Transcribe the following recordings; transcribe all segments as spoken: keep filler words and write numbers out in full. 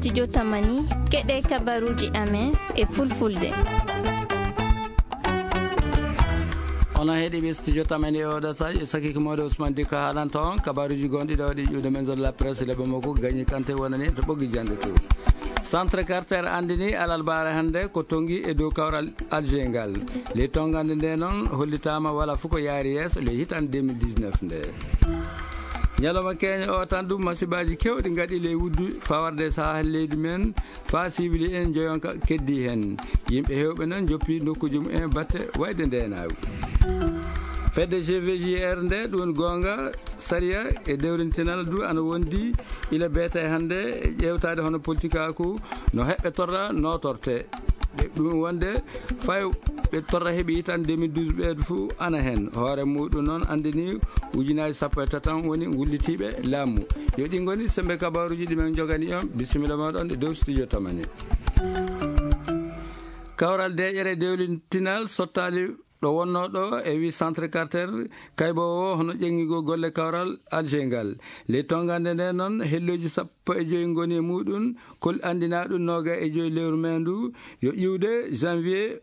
Studio Tamani, keɗe kabaruji amen e fulfulde. Onon heɗiɓe Studio Tamani e oɗo saji, e sakiko moɗo Ousmane Diko haalanta on kabaruji gonɗi ɗo ɗi ƴuwde men zone la presse le Bamako, Gagny Kanté wonani to ɓoggi jande to. Centre Carter andini alarbaare hannde ko tongi e dow kawral Alger ngal. Ley tongande nde noon hollitaama wala fof ko yaari yeeso ley hitande deux mille dix-neuf nde. Ñalawma keñe o tan ɗum masiibaaji keewɗi ngaɗi ley wuddu fawarde sahaa leydi men, faa siwili en joyonka keddi heen. Yimɓe heewɓe noon njoppi nokkuuji mum en batte wayde ndeenaagu. Fedde G V G R nde ɗum goonga sariya e dewrintinal du ana wondi ila beeta e hannde e ƴeewtaade hono politikaaku no heɓɓe torra nootorte. Ɓe ɗum wonde fay ɓe torra heɓi tan deux mille douze ɓeeɗo fof ana heen. Hoore muɗum noon anndini ujunaaji sappo e tati woni ngullitiiɓe laamu. Yo ɗi ngoni sembe kabaruuji ɗi men njogani on. Bisimilla mooɗon e dow studio Tamani. Kawral deeƴere dewlintinal sottaali ɗo wonnoo ɗo e wi Centre Carter, kayboowo hono ƴeŋŋigol golle kawral Alger ngal. Ley tongande nde noon, hellooji sappo e joy ngoni e muɗum, kol anndinaa ɗum nooga e joy lewru meendu, yo iwde janvier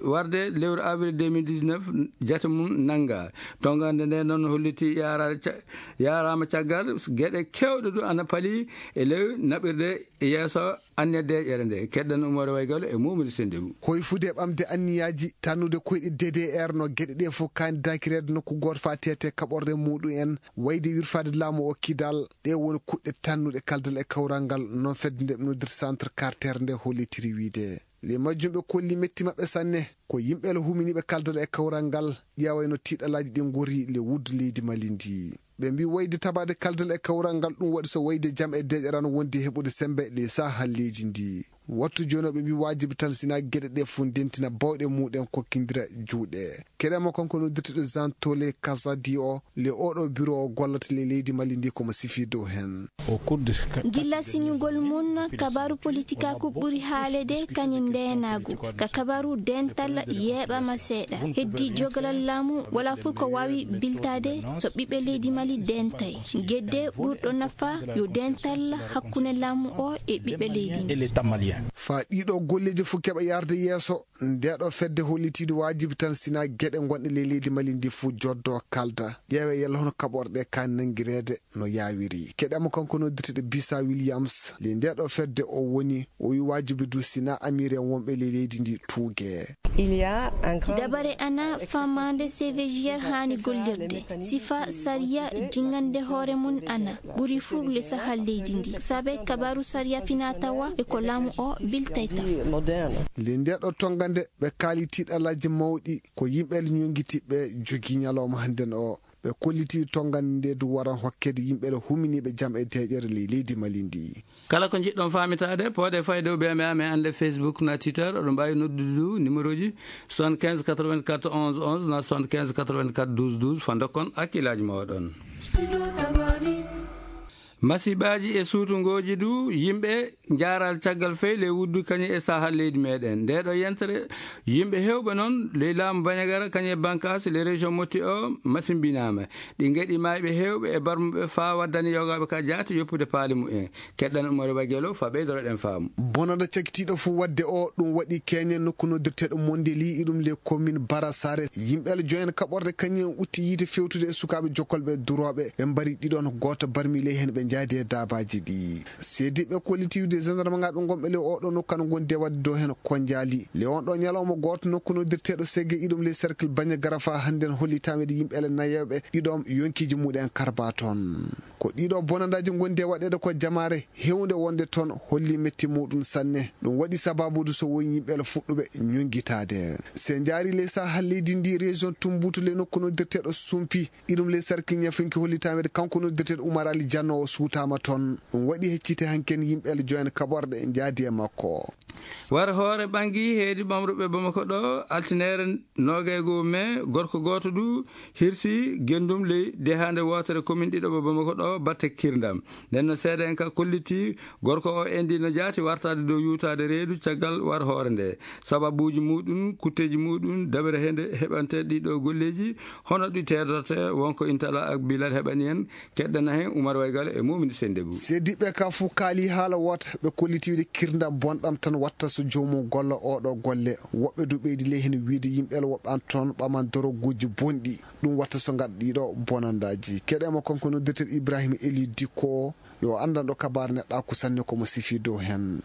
warde lewru avril deux mille dix-neuf, jate mum nannga. Tongande nde noon holliti yaara ca-, yaaraama caggal geɗe keewɗe du ana pali e ley naɓirde yeeso anniya deeƴere nde. Keɗɗen Umar Waygalo e Momodi Sendegu. Hoyfude e ɓamde anniyaaji tannude koyɗe D D R no geɗe ɗe fof kaandidakireede nokku gooto faa teete kaɓorde muɗum en, wayde wirfaade laamu o kidal, ɗe woni kuɗɗe tannuɗe kaldal e kawral ngal, noon fedde nde noddirta Centre Carter nde hollitiri wiide. Le majjum ɓe kolli metti maɓɓe sanne, ko yimɓe le huminiiɓe kaldal e kawral ngal, ƴeewayno tiiɗalaaji ɗi ngori le wuddu leydi Mali ndi. Ɓe mbi wayde tabaade kaldal e kawral ngal, ɗum waɗi so wayde jam e deeƴere no wondi heɓude sembe ley sahaa leydi ndi. Wattu jooni o ɓe mbi waajibi tan sina geɗe ɗe fof ndentina bawɗe muɗen kokkindira juuɗe. Keɗe mo kanko noddirteɗo Jean Tole Kazadi o, le oɗo biro o gollata le leydi Mali ndi komo sifi dow hen. Gilla siñugol mum, kabaru politikaaku ɓuri haalede kañum ndeenaagu. Ka kabaru dental yeeɓama seeɗa. Heddi jogalal laamu wala fof ko waawi biltaade so ɓiɓɓe leydi Mali dentay. Gedde ɓurɗo nafa yo dental hakkunde laamu o e ɓiɓɓe leydi ndi. Faa ɗiɗo golleeji fof keɓa yarde yeeso, ndeɗo fedde hollitiiɗo waajibi tan sina geɗe gonɗe ley leydi Mali ndi fof joddo kalda. Ƴeewe yalla hono kaɓorɗe ka nanngireede no yaawiri. Keɗama kanko noddirteɗo Bisa Williams, le ndeɗo fedde o woni, o wi waajibi du sina amiren wonɓe ley leydi ndi tuuge. Dabare ana famaande C V G R haani gollirde. Sifa sariya jingande hoore mum ana ɓuri furle sahal leydi ndi. Sabe kabaru sariya fina tawa e ko laamu o biltay taf. Le ndeɗo tongande ɓe kaali tiiɗalaaji mawɗi ko yimɓe ñongitiɓe jogi ñalawma hannden o. Ɓe kolliti tongande nde du waran hokkede yimɓe le huminiiɓe jam e deeƴere ley leydi Mali ndi. Kala ko njiɗɗon faamitaade, pooɗe fayde o B M A men annde Facebook na Twitter, oɗon mbaawi noddude du numéro ji soixante-quinze quatre-vingt-quatre onze onze na soixante-quinze quatre-vingt-quatre douze douze, fa ndokkon hakkillaaji mooɗon. Masiibaaji e suutungooji du, yimɓe njaaral caggal fey ley wuddu kañum e sahal leydi meɗen. Nde ɗo yentere, yimɓe heewɓe noon ley laamu Bandiagara kañum e bankaas ley région Mopti o masimbinaama. Ɗi ngaɗi maayɓe heewɓe e barmuɓe faa waddani yogaaɓe ka jaati yoppude paali mumen. Keɗɗan Umar Bagelo faa ɓeydoroɗen faamu. Bonanda cakitiiɗo fof waɗde o, ɗum waɗi keñen nokku noddirteeɗo Mondeli, iɗum le commune Barasare. Yimɓe le joyen kaɓorde kañum en utti yiite fewtude e sukaaɓe jokkolɓe durooɓe. Ɓe mbari ɗiɗon, gooto barmi ley heen ɓe njaadi e daabaaji ɗi. Seediiɓe kollitiiwde gendarme ŋaaɓe ngonɓe le oɗo nokku kan gonde waɗde dow heen konjaali. Le on ɗo ñalawma gooto nokku noddirteeɗo Sege iɗum le cercle Baña Garafa hannden holli taweede yimɓe le nayeeɓe ɗiɗon yonkiiji muɗen karba toon. Ko ɗiɗo bonandaaji ngondi e waɗeede ko jamaare heewnde wonde toon holli metti muɗum sanne. Ɗum waɗi sababude so woni yimɓe le fuɗɗuɓe ñonngitaade. Se njaari ley sahal leydi ndi région Tumbutu le nokku noddirteeɗo Sumpi, iɗum ley sarkil ñafinki holli taweede kanko noddirteeɗo Umar Ali Janno o suutaama toon. Ɗum waɗi heccite hanken yimɓe le joyen kaɓorɗe njaadi e makko. War hoore ɓangi heedi ɓamruɓe Bamako ɗo, altinere noogay goo me, gorko gooto du hirsi gendum ley dehaande wootere commune ɗiɗo ɓe Bamako ɗo batte kirndam. Nden no seede'en ka kolliti gorko o endi no jaati wartaade dow yuutaade reedu caggal war hoore nde. Sababuuji muɗum, kutteeji muɗum, dabere hende heɓante ɗiɗo golleeji, hono ɗi teedorte, wonko Intala ak Bilal heɓani en, keɗɗana hen Umar Waygalo e Mumin Sendebou. Seediɓɓe ka fuu kaali haala woota, ɓe kolliti wiide kirndam bonɗam tan watta so joomum golla oɗo golle. Woɓɓe du ɓeydi ley heen wiide yimɓe woɓɓe an toon ɓaman doroguuji bonɗi. Ɗum watta so ngaɗa ɗiɗo bonandaaji. Keɗe mo kanko noddirten Ibrahima Eli Dikko, yo anndanɗo kabaar neɗɗaaku sanne ko mo sifi dow heen.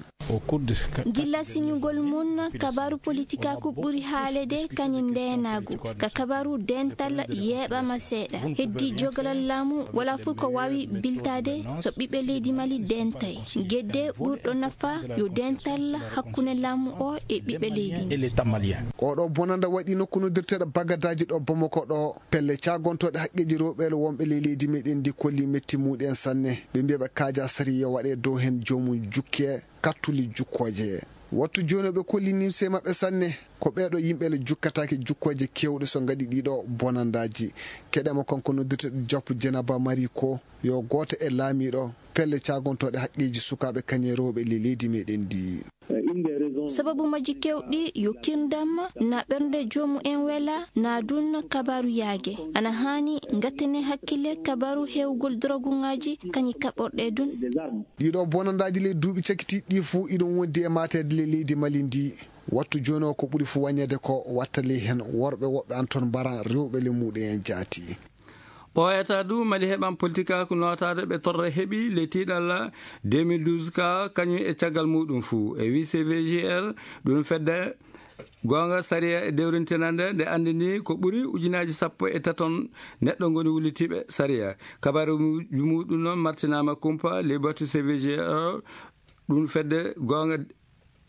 Gilla siñugol mum, kabaaru politikaaku ɓuri haalede kañum ndeenaagu. Ka kabaaru dental yeeɓama seeɗa. Heddi jogalal laamu wala fuu ko waawi biltaade so ɓiɓɓe leydi Mali dentay. Gedde ɓurɗo nafa yo dental hakkunde laamu o e ɓiɓɓe leydi ndi. Oɗo bonanda waɗi nokku noddirteeɗo Bagadaaji ɗo Bamako ɗo. Pelle caagontooɗe haqqeeji rewɓe wonɓe ley leydi meɗen ndi kolli metti muɗen sanne. Ɓe mbiya ɓe kaaja sariya waɗe dow heen joomum jukke kattuli jukkooje. Wattu jooni ɓe kolli nimse maɓɓe sanne. Ko ɓeeɗo yimɓe le jukkataake jukkooje kewɗe so ngaɗi ɗiɗo bonandaaji. Keɗe mo kanko noddirteeɗo Jappu Jenaba Mari ko yo gooto e laamiiɗo pelle caagontooɗe haqqeeji sukaaɓe kañe rewɓe le leydi meɗen ndi. Sababu majji kewɗi yo kirndam na ɓernde joomu en wela na dun kabaaru yaage. Ana haani ngattene hakkille kabaaru heewgol droguŋaaji kañi kaɓorɗe dun. Ɗiɗo bonandaaji ley duuɓi cakitiiɗi ɗi fuu iɗum wondi e maateede ley leydi Mali ndi. Wattu jooni o ko ɓuri fuu wañeede ko watta ley heen worɓe woɓɓe an toon mbaran rewɓe le muɗum en jaati. Ɓooyata du Mali heɓan politikaaku nootaade ɓe torra heɓi ley tiiɗalla deux mille douze ka kañum e caggal muɗum fuu. E wii C V G R ɗum fedde goonga sariya e dewrintinande nde anndini ko ɓuri ujunaaji sappo e taton neɗɗo ngoni wullitiiɓe sariya. Kabaaru mu-, muɗum noon martinaama kumpa ley batu C V G R ɗum fedde goonga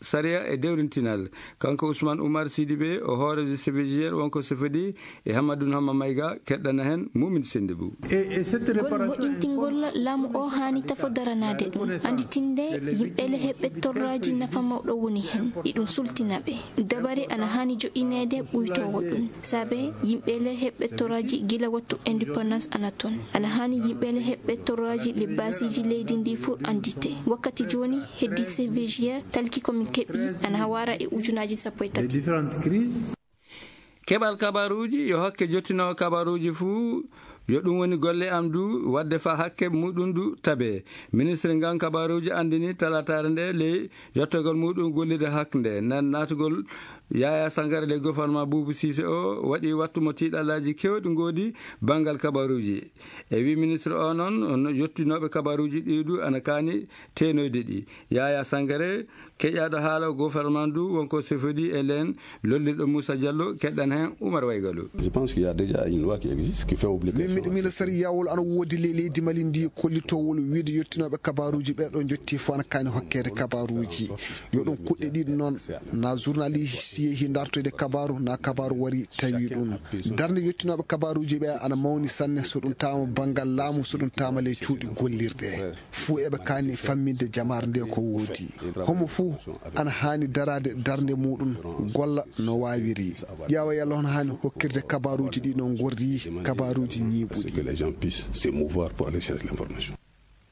sariya e dewrintinal. Kanko Ousmane Oumar Sidibé, o hooreejo C V G R, wonko sefodi e Hamadou Hama Maïga, keɗɗana heen Mumin Sendebou. Ngol moƴƴintingol laamu o haani tafo daranaade ɗum. Annditinde yimɓe le heɓɓe torraaji nafa mawɗo woni heen. Iɗum sultina ɓe. Dabare ana haani joƴƴineede ɓuytoowo ɗum. Saabe yimɓe le heɓɓe torraaji gila wattu indépendance ana toon. Ana haani yimɓe le heɓɓe torraaji le baasiiji leydi ndi fuu anndite. Wakkati jooni heddi C V G R talki ko min keɓi ana hawara e ujunaaji sappo e tati. Keɓal kabaruuji yo hakke jottinoowo kabaruuji fuu, yo ɗum woni golle am du, waɗde faa hakke muɗum du tabee. Ministre ngan kabaruuji anndini talataare nde ley yottogol muɗum gollirde haknde. Nan naatugol Yaya Sangare ley gouvernement Boubou Cissé o waɗi wattu mo tiiɗalaaji keewɗi ngoodi banngal kabaruuji. E wii ministre o noon, on yottinooɓe kabaruuji ɗi du ana kaani teenoyde ɗi. Yaya Sangare, keƴaaɗo haala gouvernement du, wonko sefodi e leen lollirɗo Moussa Diallo, keɗɗan heen Oumar Waygalo. Je pense qu'il y a déjà une loi qui existe, qui fait obligation. Min miɗo miila sariyawol ana woodi ley leydi Mali ndi kollitowol wiide yottinooɓe kabaruuji ɓe ɗo jotti fof ana kaani hokkeede kabaruuji. Yo ɗum kuɗɗe ɗiɗi noon, na journaliste yehi dartoyde kabaru, na kabaru wari tawi ɗum. Darnde yottinooɓe kabaruuji ɓe ana mawni sanne, so ɗum taama banngal laamu, so ɗum taama ley cuuɗi gollirɗe. Fuu eɓe kaani famminde jamaare nde ko woodi. Homo fuu ana haani daraade darnde muɗum, golla no waawiri. Ƴeewa yalla hono haani hokkirde kabaruuji ɗi no ngorri, kabaruuji ñiiɓuɗi. Que les gens puissent se mouvoir pour aller chercher l'information.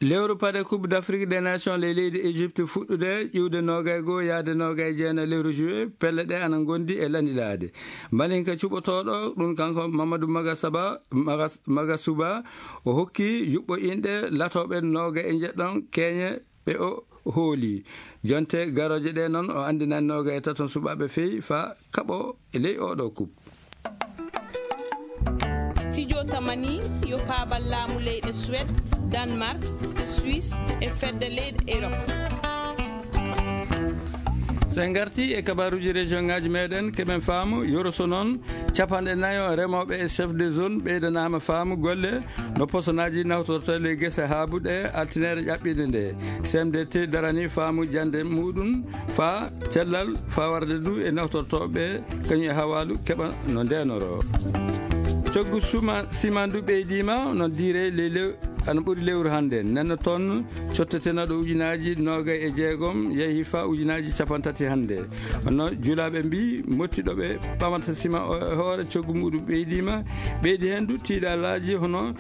Lewru paɗe Coupe d'Afrique des Nations ley leydi Égypte fuɗɗude ƴiwde noogay goo yaade noogay jeena lewru juillet, pelle ɗe ana ngondi e lanilaade. Malinka cuɓotooɗo ɗum kanko Mamadou Magasaba, Magas-, Magasuba, o hokki yuɓɓo inɗe latooɓe nooga e njeɗɗon keeñe ɓe o hooli. Jonte garooje ɗe noon o anndinani nooga e taton suɓaaɓe fey faa kaɓo e ley oɗo coupe. Studio Tamani yo paabal laamu leyɗe Suède, Danemark, Suisse e fedde leyɗe Europe. So en ngartii e kabaaruuji région ŋaaji meɗen, keɓen faamu yoro so noon capanɗe nayo remooɓe e chef de zone ɓeydanaama faamu golle no posonaaji nawtorta ley gese haabuɗe altineere ƴaɓɓiinde nde. C M D T darani faamu jannde muɗum faa cellal faa warde du e nawtortooɓe kañum e hawaalu keɓa no ndeenoroo. Coggu suma simandu ɓeydiima no diire ley lew ana ɓuri lewru hannde. Nenno toon cottetenaaɗo ujunaaji noogay e jeegom yehi faa ujunaaji capantati hannde. Kono julaaɓe mbii mottiɗo ɓe ɓamata sima o e hoore coggu muɗum ɓeydiima, ɓeydi heen du tiiɗalaaji hono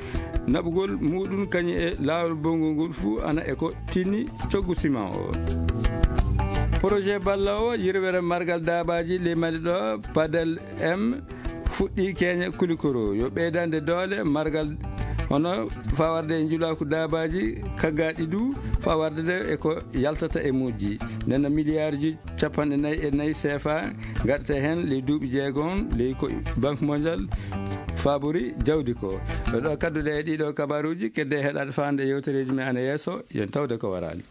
naɓugol muɗum kañum e laawol bonngol ngol fuu ana e ko tinni coggu sima o. Projet balloowo yirwere margal daabaaji ley Mali ɗo, Padel M, fuɗɗii keeña Kulikoro. Yo ɓeydande doole margal Hono faa warde e njulaaku daabaaji kaggaaɗi du, faa warde de e ko yaltata e mujji. Nena miliyaarji capanɗe nayi e nayi seefa gaɗata heen ley duuɓi jeegon, ley ko Banque Mondiale faabori jawdi ko. Ɗo kadduɗe e ɗiɗo kabaaruuji, kedde heɗaade faande yewtereeji men ana yeeso, yen tawde ko waraali.